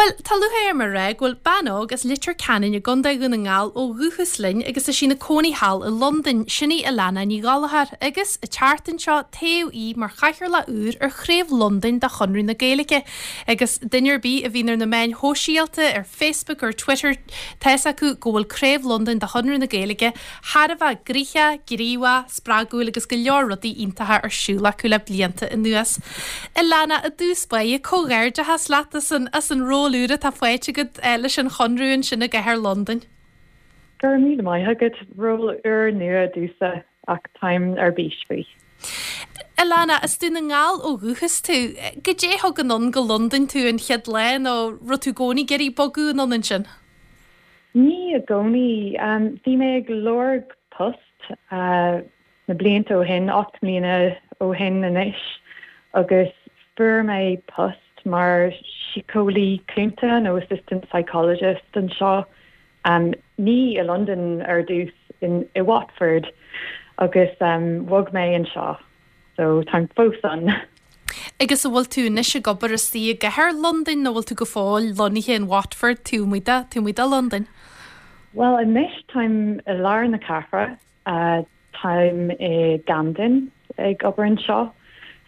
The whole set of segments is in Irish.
Bhuel, tá lúcháir orm a rá go bhfuil bean óg as Leitir Ceanainn i gContae Dhún na nGall ó dhúchas linn agus tá sí ina cónaí thall i Londain, sin í Alana Ní Ghallchóir, agus an tseachtain seo toghadh í mar chathaoirleach úr ar Chraobh Londain de Chonradh na Gaeilge. Agus duine ar bith a bhíonn ar na meáin shóisialta, ar Facebook ar Twitter, tá fhios acu go bhfuil Craobh Londain de Chonradh na Gaeilge thar a bheith gnoitheach, gníomhach, spreagúil agus go leor rudaí iontacha ar siúl acu le blianta anuas. Alana, i dtús báire, comhghairdeachas leat as an as an ról úr atá faighte agat leis an Chonradh ansin i gcathair Londain. Go raibh míle maith agat. Ról úr nua domhsa ach táim ar bís faoi. Alana, as Dún na nGall ó dhúchas tú. Goidé a thug anonn go Londain tú an chéad lá nó raibh tú i gcónaí ag iarraidh bogadh anonn ansin? Ní i gcónaí. Bhí mé ag lorg post na blianta ó shin, 8 mbliana ó shin anois, agus fuair mé post mar síceolaí cúnta nó assistant psychologist anseo, ní i Londain ar dtús, i Watford, agus bhog mé anseo. So táim fós ann. Agus an bhfuil tú anois ag obair istigh i gcathair Londain nó bhfuil tú go fóill lonnaithe in Watford, taobh amuigh de, taobh amuigh de Londain? Bhuel anois táim i lár na cathrach, táim i gCamden ag obair anseo,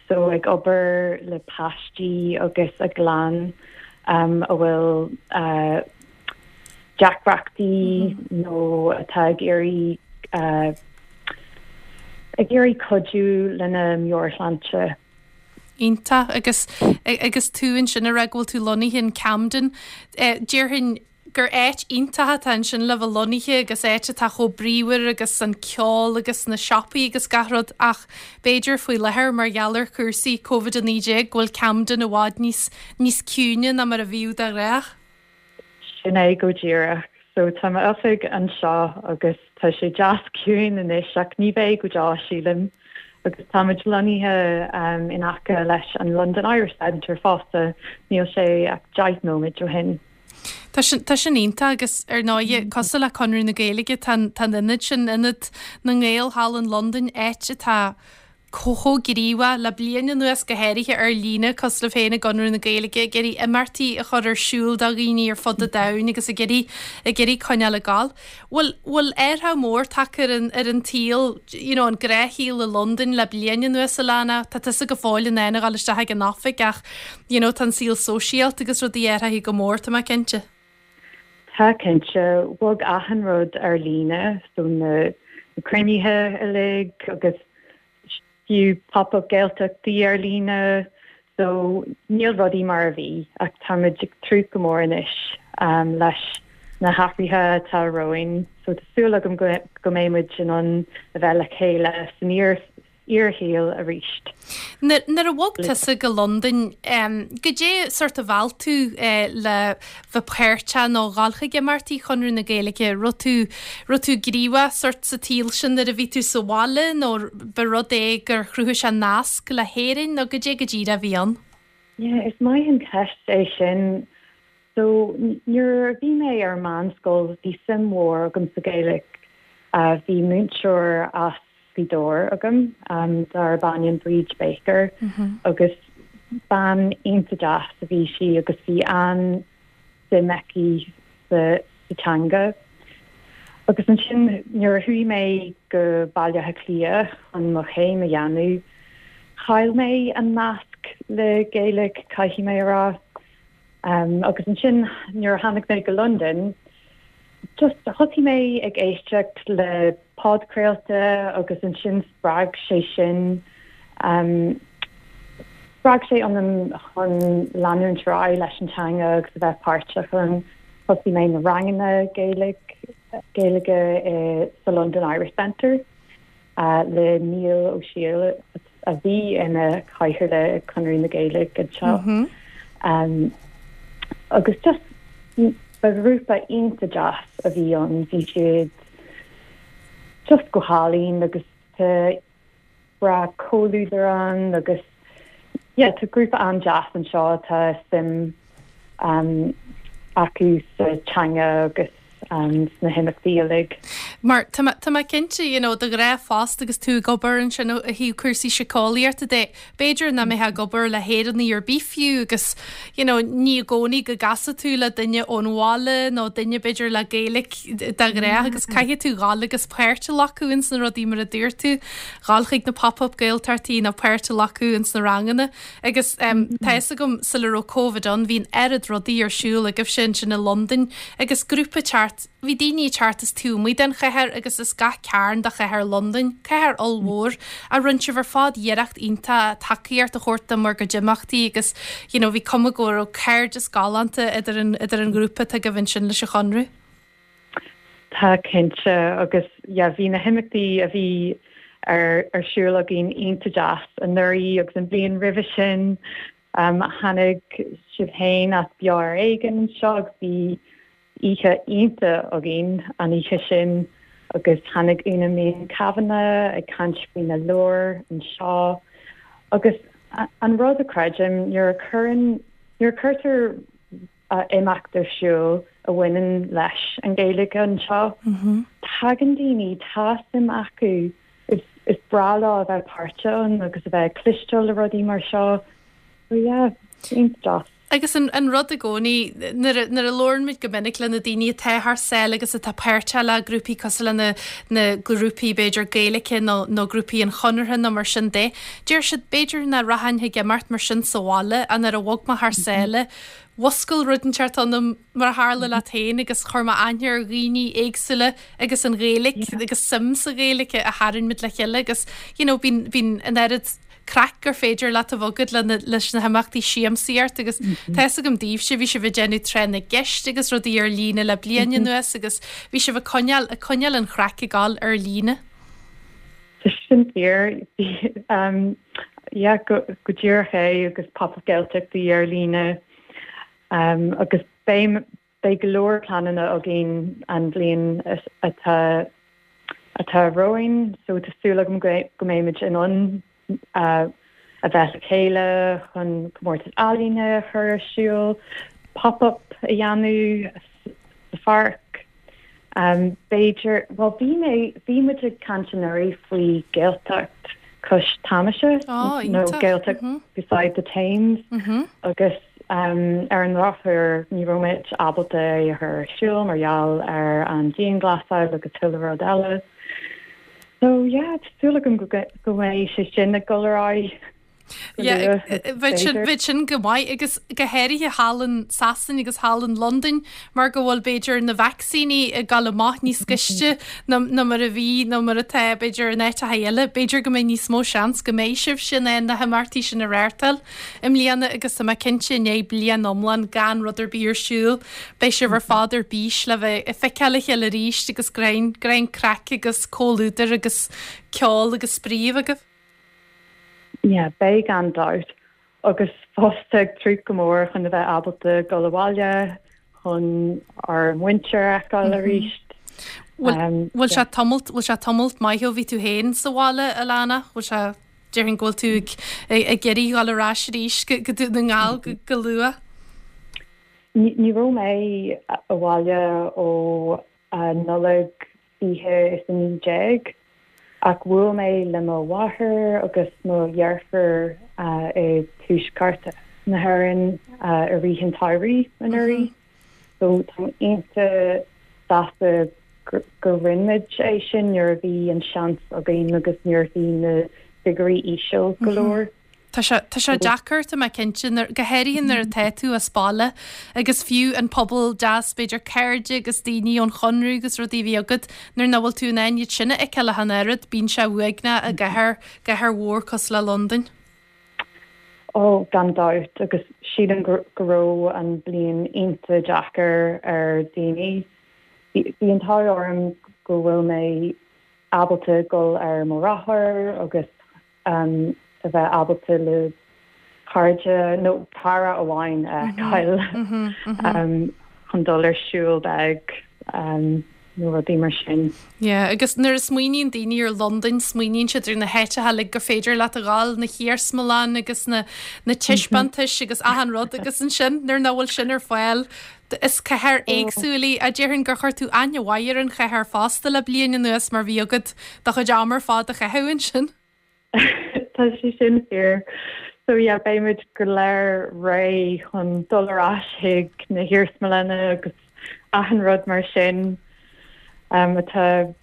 so ag obair le páistí agus a gclann a bhfuil deacrachtaí nó atá ag iarraidh ag iarraidh cuidiú lena meabhairshláinte. Iontach. Agus agus tú ansin ag rá go bhfuil tú lonnaithe in Camden, déarfainn gur áit iontach atá ansin le bheith lonnaithe agus áit atá chomh bríomhar agus an ceol agus na siopaí agus gach rud ach b'fhéidir faoi láthair mar gheall ar chúrsaí Covid-19 go bhfuil Camden i bhfad níos níos ciúine ná mar a bhíodh de ghnách. Sin é go díreach. So tá m'oifig anseo agus tá sé deas ciúin anois ach ní bheidh go deo, sílim. Agus táimid lonnaithe in aice leis an London Irish Centre fosta, níl sé ach 10 nóiméad ó shin. Tá sin, tá sin iontach agus ar ndóighe, cosúil le Conradh na Gaeilge, tá an, tá an ionad sin, Ionad na nGael thall in Londain, áit atá chomh gníomhach le bliain anuas, go háirithe ar líne, cosúil libh féin i gConradh na Gaeilge, ag iarraidh imeachtaí a chur ar siúl do dhaoine ar fud an domhain agus ag iarraidh, ag iarraidh coinneáil ag gabháil. Bhfuil, bhfuil athrú mór tagtha ar an, ar an tsaol, you know, an gnáthshaol i Londain le bliain anuas, Alana? Tá tusa go fóill in ann a dhul isteach ag an oifig ach, you know, tá an saol sóisialta agus rudaí athraithe go mór, tá mé cinnte. Tá cinnte, bhog achan rud ar líne, so na cruinnithe uilig agus fiú Pop-Up Gaeltachtaí ar líne, so níl rudaí mar a bhí ach táimid ag tnúth go mór anois leis na hathruithe atá romhainn, so tá súil agam go mbeidh muid in ann a bheith le chéile san fhíorshaol arís. Nuair a bhog tusa go Londain, goidé sort a mheall tú le bheith páirteach nó dhul chuig imeachtaí Chonradh na Gaeilge? Raibh tú, raibh tú gníomhach sort sa tsaol sin nuair a bhí tú sa bhaile nó ba rud é gur chruthaigh sé nasc le hÉirinn nó goidé go díreach a bhí ann? Yeah, is maith an cheist é sin. So, nuair a bhí mé ar meánscoil, bhí suim mhór agam sa Ghaeilge. Bhí múinteoir as Gaoth Dobhair agam darb ainm Bríd Baker agus bean iontach deas a bhí sí agus bhí an-suim aici sa teanga. Agus ansin nuair a chuaigh mé go Baile Átha Cliath chun mo chéim a dhéanamh, chaill mé an nasc le Gaeilge, caithfidh mé a rá. Agus ansin nuair a tháinig mé go Londain, just thosaigh mé ag éisteacht le podchraolta agus ansin spreag sé sin, spreag sé ionam chun leanúint ar aghaidh leis an teanga agus a bheith páirteach ann. Thosaigh mé na ranganna Gaeilge, Gaeilge i sa London Irish Centre. le Niall Ó Siadhail a bhí ina chathaoirleach ag Conradh na Gaeilge anseo. Agus just ba ghrúpa iontach deas a bhí ann, bhí siad just go hálainn agus tá breá comhluadar ann agus yeah tá grúpa an-deas anseo atá suim acu sa teanga agus sna himeachtaí uilig. Mar tá mé, tá mé cinnte, you know, de ghnáth fosta agus tú ag obair ansin ó thaobh cúrsaí síceolaíochta de, b'fhéidir nach mbeifeá ag obair le hÉireannaigh ar bith fiú agus, you know, ní i gcónaí go gcasfaidh tú le duine ón bhaile nó duine b'fhéidir le Gaeilge de ghnáth agus caithfidh tú dhul agus páirt a ghlacadh ins na rudaí mar a dúirt tú, dhul chuig na pop-up Gaeltachtaí nó páirt a ghlacadh ins na ranganna. Agus tá fhios agam sula raibh Covid ann bhí an oiread rudaí ar siúl agaibhse ansin i Londain agus grúpa teacht, bhí daoine ag teacht as taobh amuigh den chathair agus as gach cearn de chathair Londain, cathair ollmhór, a rinne sibh ar fad iarracht iontach tacaíocht a thabhairt do bhur gcuid imeachtaí agus you know bhí cuma go raibh cairdeas galánta idir an idir an ghrúpa atá agaibh ansin leis an Chonradh. Tá cinnte agus yeah bhí na himeachtaí a bhí ar ar siúl againn iontach deas anuraidh agus an bhliain roimhe sin. Tháinig sibh féin as Beo Ar Éigean anseo agus bhí oíche iontach againn an oíche sin agus tháinig Úna Mín Kavanagh ag caint faoina leabhar anseo agus an rud a creidim nuair a chuireann nuair a chuirtear imeacht ar siúl a bhaineann leis an Ghaeilge anseo. Tagann daoine, tá suim acu, is breá leo a bheith páirteach ann agus a bheith ag cloisteáil le rudaí mar seo. So yeah, iontach deas. Agus an an rud i gcónaí, nuair a nuair a labhrann muid go minic le na daoine atá thar sáile agus atá páirteach le grúpaí cosúil le na na grúpaí b'fhéidir Gaeilge nó nó grúpaí an Chonartha nó mar sin de, deir siad b'fhéidir nach rachainn chuig imeacht mar sin sa bhaile ach nuair a bhog mé thar sáile, Mhuscail rud inteacht ionam, mar a tharla leat féin, agus chuir mé aithne ar dhaoine éagsúla agus an Ghaeilge agus suim sa Ghaeilge a tharraing muid le chéile agus you know bíonn, bíonn an oiread craic gur féidir leat a bheith agat le na, leis na himeachtaí siamsaíocht agus tá fhios agam daoibhse, bhí sibh ag déanamh tráth na gceist agus rudaí ar líne le bliain anuas agus bhí sibh ag coinneáil, ag coinneáil an chraic ag dul ar líne. Tá sin fíor. Yeah, go díreach é agus Pop-Up Gaeltachtaí ar líne agus beidh beidh go leor pleananna againn an bhliain atá atá romhainn so tá súil agam go mbeimid in ann a bheith le chéile chun comórtas ealaíne a chur ar siúl, pop-up a dhéanamh sa pháirc. B'fhéidir, bhuel bhí mé, bhí muid ag caint anuraidh faoi Gaeltacht cois Tamaise nó Gaeltacht beside the Thames agus ar an ndrochuair ní raibh muid ábalta é a chur ar siúl mar gheall ar an dianghlasáil agus chuile rud eile. So yeah, tá súil agam go mbeidh sé sin ag dul ar aghaidh. Bheadh sin go maith agus go háirithe thall in Sasain agus thall in Londain mar go bhfuil b'fhéidir na vacsaíní ag dul amach níos gaiste ná mar a bhí nó mar atá b'fhéidir in áiteacha eile. B'fhéidir go mbeidh níos mó seans go mbeidh sibhse in ann na himeachtaí sin a reáchtáil i mbliana agus tá mé cinnte i ndiaidh bliain iomlán gan rud ar bith ar siúl beidh sibh ar fad ar bís le bheith ag feiceáil a chéile arís agus greann, greann craic agus comhluadar agus ceol agus spraoi a bheith agaibh. Yeah, beidh gan dabht. Agus fosta ag tnúth go mór chun a bheith ábalta dul abhaile chun ár muintir a fheiceáil arís. Bhfuil sé tamalt, bhfuil sé tamalt maith ó bhí tú féin sa bhaile, Alana? Bhfuil sé, déarfainn go bhfuil tú ag ag iarraidh dhul ar ais arís go go Dún na nGall go go luath? Ní raibh mé abhaile ó Nollaig 2019, ach bhuail mé le mo mháthair agus mo dheirfiúr i dtuaisceart na hÉireann i rith an tsamhraidh anuraidh. So táim iontach sásta gur rinne muid é sin nuair a bhí an seans againn agus nuair a bhí na figiúirí íseal go leor. Tá sé, tá sé deacair, tá mé cinnte, nuair, go háirithe nuair atá tú as baile agus fiú an pobal deas, b'fhéidir cairde agus daoine ón Chonradh agus rudaí a bhí agat, nuair nach bhfuil tú in ann iad sin a fheiceáil ach an oiread, bíonn sé uaigneach i gcathair, gcathair mhór cosúil le Londain. Ó, gan dabht, agus sílim go, go raibh an bliain iontach deacair ar daoine. Bhí, bhí an t-ádh orm go bhfuil mé ábalta dul ar mo rothar agus a bheith ábalta le cairde nó cara amháin a fheiceáil chun dul ar siúl beag. nó rudaí mar sin. Yeah, agus nuair a smaoiníonn daoine ar Londain, smaoiníonn siad ar na háiteacha uilig gur féidir leat a ghabháil, na hiarsmalann agus na na taispeántais agus achan rud agus ansin nuair nach bhfuil sin ar fáil, is cathair éagsúil í. Déarfainn gur chuir tú aithne mhaith ar an chathair fosta le bliain anuas mar bhí agat do chuid ama ar fad a chaitheamh ansin. Tá sé sin fíor. So yeah, beidh muid go léir réidh chun dul ar ais chuig na hiarsmalanna agus achan rud mar sin um, atá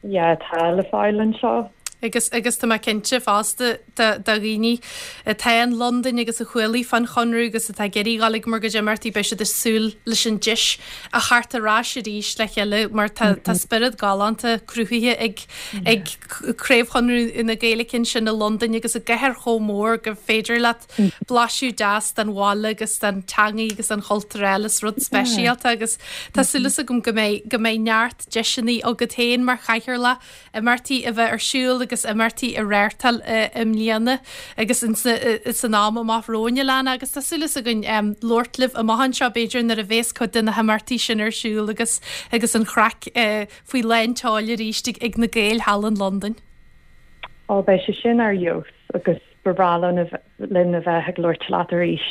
yeah, atá le fáil anseo. Agus agus tá mé cinnte fosta do do dhaoine atá in Londain agus a chualaidh fán Chonradh agus atá ag iarraidh dhul ag bhur gcuid imeachtaí beidh siad ag súil leis an deis a theacht ar ais arís le chéile mar tá tá spiorad galánta cruthaithe ag ag Craobh Chonradh na Gaeilge ansin i Londain agus i gcathair chomh mór gur féidir leat blaiseadh deas den bhaile agus den teangaidh agus den chultúr eile. Is rud speisialta agus tá súil agam go mbeidh go mbeidh neart deiseanna agat féin mar chathaoirleach imeachtaí a bheith ar siúl agus imeachtaí a reáchtáil i mbliana agus san am amach romhainn Alana agus tá súil againn labhairt libh amach anseo b'fhéidir nuair a bhéas cuid de na himeachtaí sin ar siúl agus agus an chraic faoi lán tseoil arís ag na Gaeil thall in Londain. Ó, beidh sé sin ar fheabhas agus ba bhreá linn a bheith ag labhairt leat arís.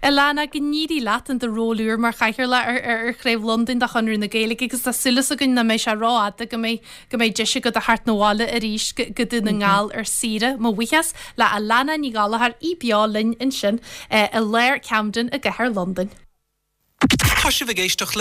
Alana, go n-éirí leat in do ról úr mar Chathaoirleach ar Chraobh Londain de Chonradh na Gaeilge agus tá súil againn nach mbeidh sé rófhada go mbeidh go mbeidh deis agat a theacht 'na bhaile arís go Dún na nGall ar saoire. Mo bhuíochas le Alana Ní Ghallchóir, í beo linn ansin i lár Camden i gcathair Londain. Tá sibh ag éisteacht le.